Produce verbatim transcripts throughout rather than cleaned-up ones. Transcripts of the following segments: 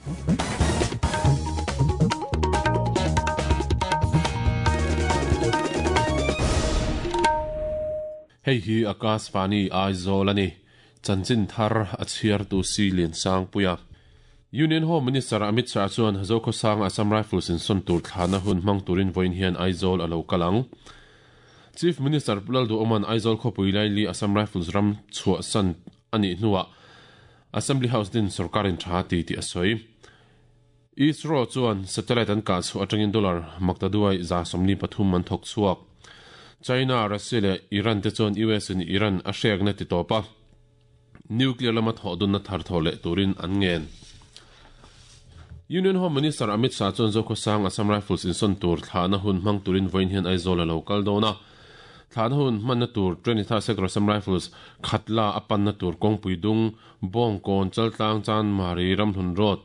Hei hi Akashvani Aizawl ani chanchin thar a chhiar tu si lian sang puia Union Home Minister Amit Shah chuan Zokhawsang Assam Rifles in son tur thlana hun hmang turin voin hian Aizawl alo kalang Chief Minister Pulal Du Oman Aizawl khawpui laili Assam Rifles ram chhuah san ani hnuah Assembly House din sarkarin tha ti ti a sawi ISRO chuan satellite an kah chu atangin dollar maktaduai za sawmli pathum an thawk chhuak China, Russia le Iran te chuan U S in Iran a hrek na ti tawpa nuclear lama thawh dun na thar thaw leh turin an ngen Union Home Minister Amit Shah chuan Zokhawsang Assam Rifles in son tur thlana hun hmang turin voin hian Aizawl alo kal dawna thlana hun hman na tur twenty-third Sector Assam Rifles khatla a pan na tur kawngpui dung Bawngkawn Chaltlang Chanmari Ramhlun Road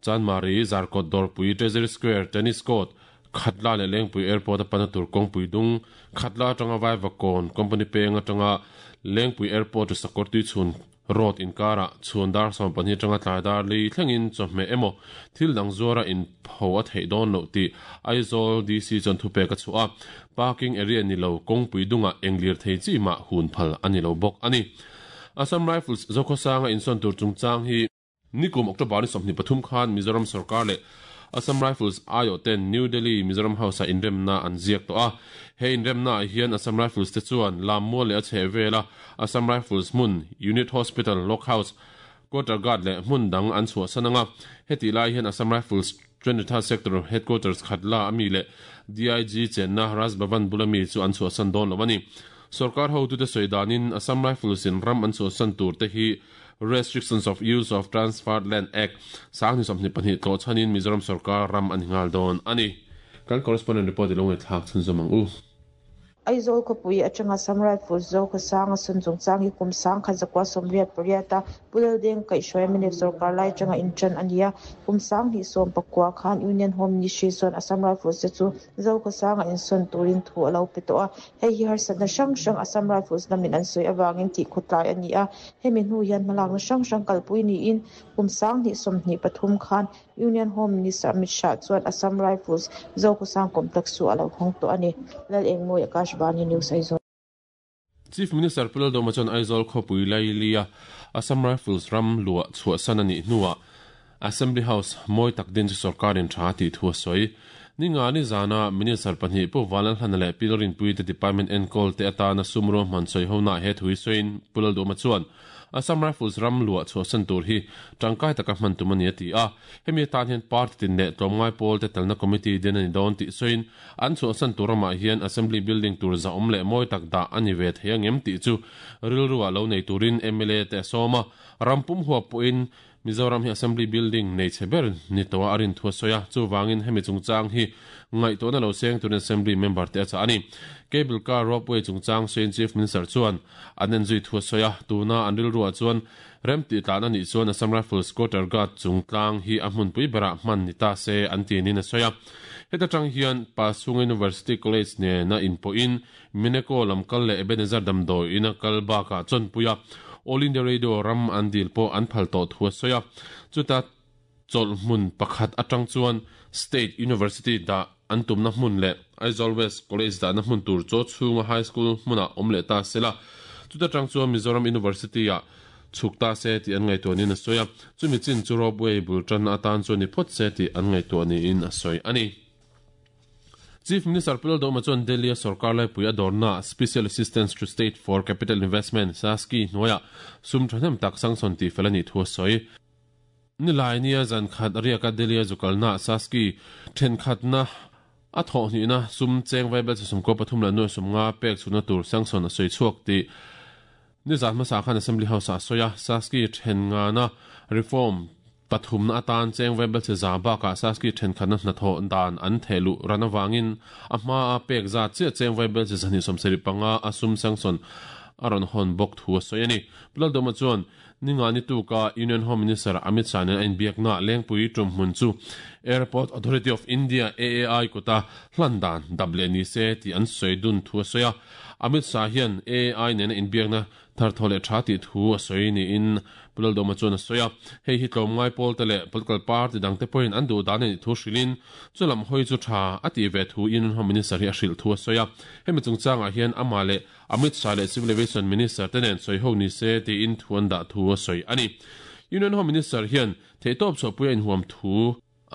Chanmari Zarkawt Dawrpui Treasury Square Tennis Court Khatla le Lengpui Airport a pan na tur kawngpui dung Khatla atanga Vaivakawn Company peng atanga Lengpui Airport Sakawrtui chhun road inkara chhun dar sawm pahnih atanga tlai dar li thlengin chawhmeh emaw thil dang zuara in pho a theih dawn loh tih Aizawl D C chuan thupek a chhuah a parking area ni lo kawngpui dungah englir thei chi mah hun phal ani lo bawk ani Assam Rifles Zokhawsanga insawn tur chungchang hi nikum October ni sawmhnih pathum khan Mizoram sarkar leh Assam Rifles aio ten New Delhi Mizoram House a inremna an ziak tawh a he inremna ah hian Assam Rifles te chuan Lammual leh a chheh vela Assam Rifles hmun Unit Hospital Lock House Quarter Guard leh hmun dang an chhuah san anga heti lai hian Assam Rifles twenty-third Sector Headquarters khatla ami leh D I G chenna Raj Bhavan bulami chu an chhuah san dawn lo ani sarkar ho tu te soidanin Assam Rifles in ram an chhuah san tur te hi Restrictions of Use of Transferred Land Act sang ni sawmhnih pahnih tlaw chhanin Mizoram sarkar ram an hingal dawn ani kan correspondent report ilong thlak chhun zawmang u Aizawl khawpui atanga Assam Rifles Zokhawsanga sun chungchang hi kum sang khat zakua sawmriat pariata Pulal Deng kaihhruai Minister sarkar lai atanga intran ania kum sang hnih sawm pakua khan Union Home Ministry chuan Assam Rifles te chu Zokhawsanga insawn turin thu alo pe tawh a hei hi harsatna hrang hrang Assam Rifles lamin an sawi awangin tih khawtlai ani a hemi hnu hian hmalakna hrang hrang kalpui niin kum sang hnih sawmhnih pathum khan Union Home Minister Amit Shah chuan Assam Rifles Zokhawsang complex chu alo hawng tawh ani Lal Engmawi Akashvani News Aizawl Chief Minister Pulal Doma chuan Aizawl khawpui lailia Assam Rifles ram luah chhuah san ani hnuah Assembly House mawi tak din chu sarkarin tha tih thu a sawi ninga ni zana Minister pahnih pu Valan Hlana leh Pilorin pui te Department enkawl te atana sumro hman sawi hona he thui sawiin Pulal Doma chuan Assam Rifles ram luah chhuah san tur hi tangkai taka hman tum ani a ti a hemi tan hian party tin leh tlawmngai pawl te telna committee den ani dawn tih sawiin an chhuah san tur ramah hian Assembly building tur za awm leh mawi tak dah ani ve thei angem tih chu rilru ah lo nei turin M L A te a sawm a rampum huap pawhin Mizoram hi Assembly building nei che ber ni toa arin thua soya chuwangin hemi chungchang hi ngaihtuahna lo seng turin Assembly member te a cha ani cable car ropeway chungchang sawiin Chief Minister chuan an en zui thua soya tuna an rilru ah chuan rem tih tlan ani chuan Assam Rifles Quarter Guard chungtlang hi a hmunpui berah hman ni ta se an tinin a soya heta tang hian Pasung University College ne na inpawhin Mineko lamkal leh Ebenezer Damdawi ina kal bakah chawnpuia All India Radio ram an dil po an phal tawh thu a sawi a chuta chawlh hmun pakhat atang chuan State University dah an tumna hmun leh Aizawl West College dahna hmun tur chaw chhunga High School hmunah awm leh ta sela chuta tang chuan Mizoram University ah chhuk ta se tih an ngaihtuah niin a sawi a chumi chin chu ropeway bul tan atan chuan ni phawt se tih an ngaihtuah niin a sawi ani Chief Minister Pulal Doma chuan Delhi sarkar laipui a dawrna Special Assistance to State for Capital Investment SASCI hnuaia sum thahnem tak sanction tih fel ani thu a sawi nilai nia zan khat riaka Delhi a zukalna SASCI thenkhatna a thawh hnihna sum cheng vaibel chu sum ko pathum la nuai sum nga pek chhuna tur sanction a sawi chhuak tih ni zan hmasa khan Assembly House a sawi a SASCI then nga na reform pathum na atan cheng vaibel che za baka SASCI thenkhatna hnathawh dan an thehlu ran awangin a hma a pek za chiah cheng vaibel che zani sawmsarih panga a sum sanction a rawn hawn bawk thu a sawi ani Pulal Doma chuan ninga ni tuka Union Home Minister Amit Shah nen a inbiakna Lengpui tum hmun chu Airport Authority of India A A I kuta hlan dan dap leh ni se tih an sawi dun thu a sawi a Amit Shah hian A A I nen a inbiakna Thar thole tha ti thu a soi ni in Pulal Doma chuan a soya hei hi tlom ngai pol te le political party dang te point an du dan ni thu hrilin chulam hoi chu tha ati ve thu in Home Minister hi a hril thu a soya hemi chungchanga hian ama le Amit Shah le Civil Aviation Minister tenen soi ho ni se ti in thuan da thu a soi ani Union Home Minister hian theitop so puya in huam thu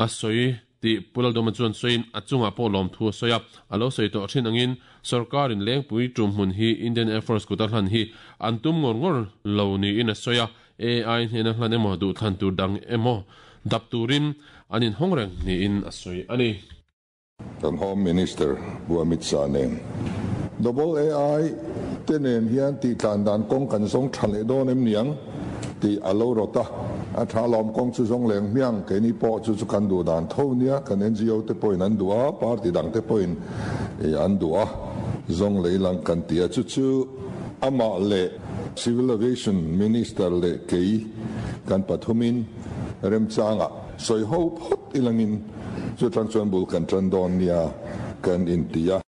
a soi ti Pulal Doma chuan soin achunga po lom thu soya alo soi to thin angin sarkar in lengpui tum hun hi Indian Air Force kutar hlan hi antum ngor ngor lo ni in a soya A I hena hlan emo du than tur dang emo dap turin anin hongreng ni in a soi ani kan Home Minister Amit Shah nen Double A I tenen hian ti tlan dan kong kan song thale don em niang ti alo rota a tha lom kong chu zong leng miang ke ni po chu chu kan du dan tho nia kan N G O te point an du a party dang te point e an du a zong leilang kan tia chu chu ama le Civil Aviation Minister le kei kan pathumin remchanga soi ho phot ilangin chu tang chuan bul kan tran don nia kan intia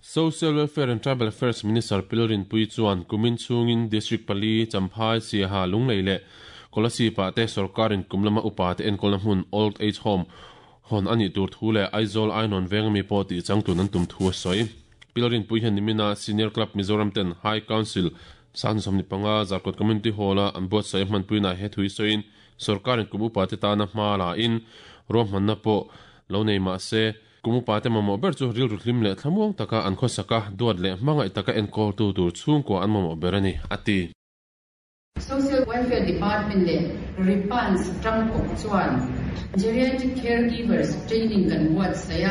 Social Welfare and Tribal Affairs Minister Pilorin Pui chuan kumin chungin District Pali Champhai Siaha Lunglei le Kolasi pa te sarkarin kumlama upa te enkolna hmun Old Age Home hon ani tur thu le Aizawl Ainon vengami pawh tih changtun an tum thu a sawi Pilorin Pui hian nimina Senior Club Mizoram ten High Council san somni panga Zarkawt Community Hall a an buatsaih hmanpui na he thui sawiin sarkarin kum upa te tana hma la in rawm hmanna pawh lo nei mah se kumu pa te mamo ber chu ril ruhlim le thlamuang taka an khawsaka duat le hmangaih taka enkawl tu tur chhungkua an mamo ber ani ati Social Welfare Department le Ripans Tangkok chuan geriatric caregivers training kan buat saya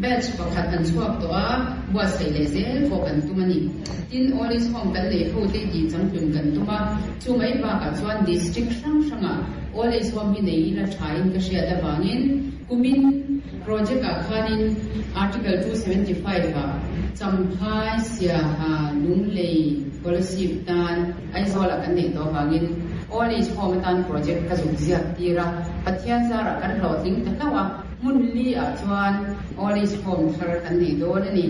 batch pakhat an chuak to a buat sei le zel fo kan tumani tin all is home kan le ho te ji changtun kan tuma chu mai ba ka chuan district hrang hranga all is home hi nei la thain ka hria da wangin kumin project a khanin article two seventy-five a Champhai Siaha Lunglei Kolasi tan Aizawl kan nei to wangin all is home tan project ka zuk ziak tira pathian zara kan hlawhtling ta hlawa mun li a chuan all is home thar kan nei dawn ani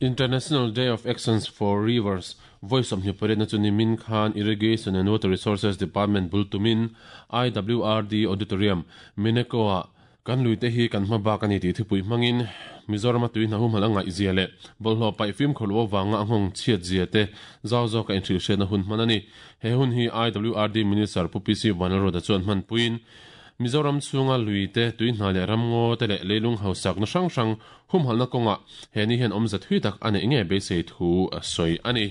International Day of Actions for Rivers Voice of Nipare na chuni Min Khan Irrigation and Water Resources Department bultumin I W R D Auditorium Minekoa kan luite hi kan hma ba kan ti thupui mangin Mizoram tui na hum halanga izia le bolhlo pai film kholo wanga anghong chiat zia te zaw zaw ka entry she na hun manani he hun hi I W R D Minister Pu P C Vanlalroda chuan hman puin Mizoram chunga luite tui hna le ramngo te le leilung hausak na hrang hrang hum halna konga he ni hian awmza thui tak ane nge beisei thu a sawi ani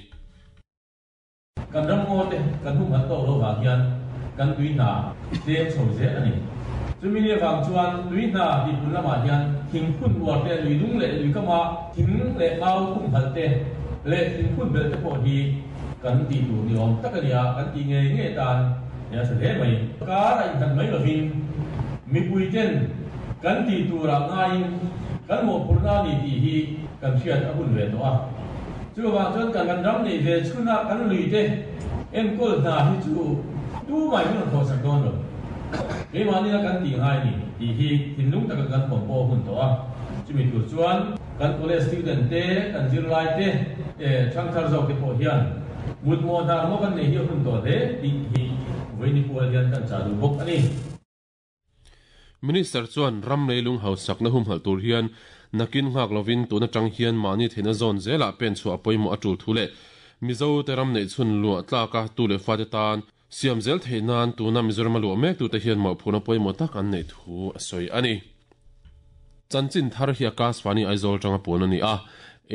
kan ramngo te kan hum hal to lo wang hian kan tui hna tlem chho zel ani chumi ni wang chuan tui hna ti pun lama hian thing phun war te lui lung le lui kama thing le mau hum hal te le thing phun bel te pawh hi kan ti tur ni awm tak ania kan ti nge nge tan ya sa hle mai kar a in mai lovin mi pui ten kan ti tura ngain kan mo purna ni ti hi kan hriat a hun ve to a chu wang chuan kan kan ram nei ve chuna kan lui te en kol na hi chu tu mai hun tho sak don lo ke ma ni kan ti ngai ni ti hi thinlung taka kan pom po hun to a chumi tur chuan kan college student te kan zir lai te e thangthar zawk te pawh hian mut mo nar mo kan nei hi hun to hle ti hi voini pual hian kan cha du bawk ani Minister chuan ram leilung hausak na hum hal tur hian nakin ngak lovin tuna tang hian mani theina zone zela pen chu apoimo atul thule Mizo te ram nei chun lu tlaka tu le fa te tan siam zel theinan tuna Mizoram lu mek tu te hian mo phuna poimo tak an nei thu a soi ani chanchin thar hi Akashvani Aizawl tanga pon ani a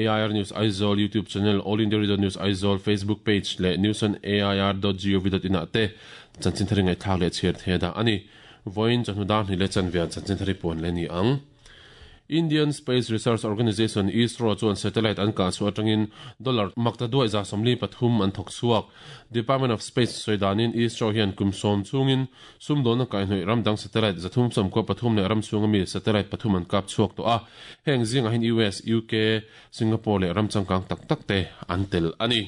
A I R News Aizawl YouTube channel All India Radio News Aizawl Facebook page le news on A I R dot gov dot in ate chanchin thar ngai thak le chher the da ani voin chanhudan hi le chanvian chanchin thari pon le ni ang Indian Space Research Organization ISRO chuan satellite an ka chu atangin dollar makta duai za somli pathum an thok chuak Department of Space soidanin ISRO hian kumsom chungin sumdon ka hnoi ramdang satellite zathum som ko pathum le ram chunga mi satellite pathum an kap chuak to a heng zinga hin U S U K Singapore le ram changkang tak tak te an tel ani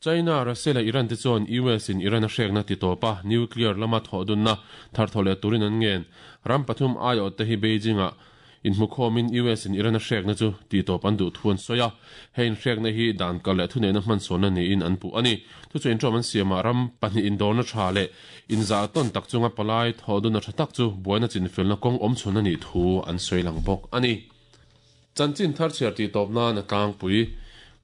China Russia le Iran te chuan U S in Iran a hrekna ti topa nuclear lama thodunna thar thole turin an ngen ram pathum ayo te hi Beijing a In mukhomin U S in Iran a hrek na chu ti top an du thuan soya hein hrek na hi dan kal le thune na hman sona ni in an pu ani thu chu in trom an siama ram pahnih in dorna tha le in za ton tak chunga palai thodun na thatak chu buaina chin felna kong om chun ani thu an soilang bok ani chanchin thar chiar ti top na na tlang pui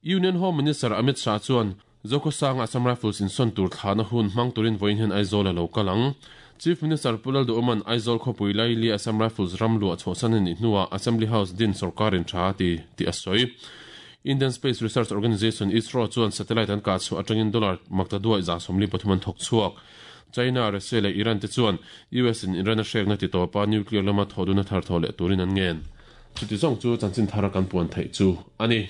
Union Home Minister Amit Shah chuan Zokosang Assam Rifles in son tur thana hun mang turin voin hen Aizawl lo kalang Chief Minister Pulal do Oman Aizawl khopui laili Assam Rifles ramlu a chhosan ni hnuwa Assembly House din sarkarin tha ti ti asoi Indian Space Research Organization ISRO chuan satellite an ka chu atangin dollar makta duai za somli pathuman thok chuak China Russia le Iran te chuan U S in Iran a hrek na ti topa nuclear lama thoduna thar thole turin an ngen chuti zong chu chanchin thara kan puan thei chu ani.